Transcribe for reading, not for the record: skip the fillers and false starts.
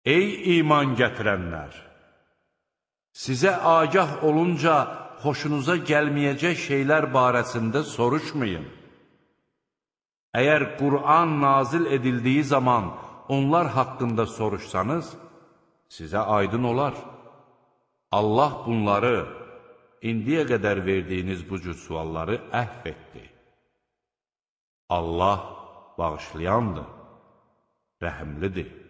Ey iman gətirənlər! Sizə agah olunca xoşunuza gəlməyəcək şeylər barəsində soruşmayın. Əgər Qur'an nazil edildiyi zaman onlar haqqında soruşsanız, sizə aydın olar. Allah bunları, indiyə qədər verdiyiniz bu cür sualları əhv etdi. Allah bağışlayandır, rəhimlidir.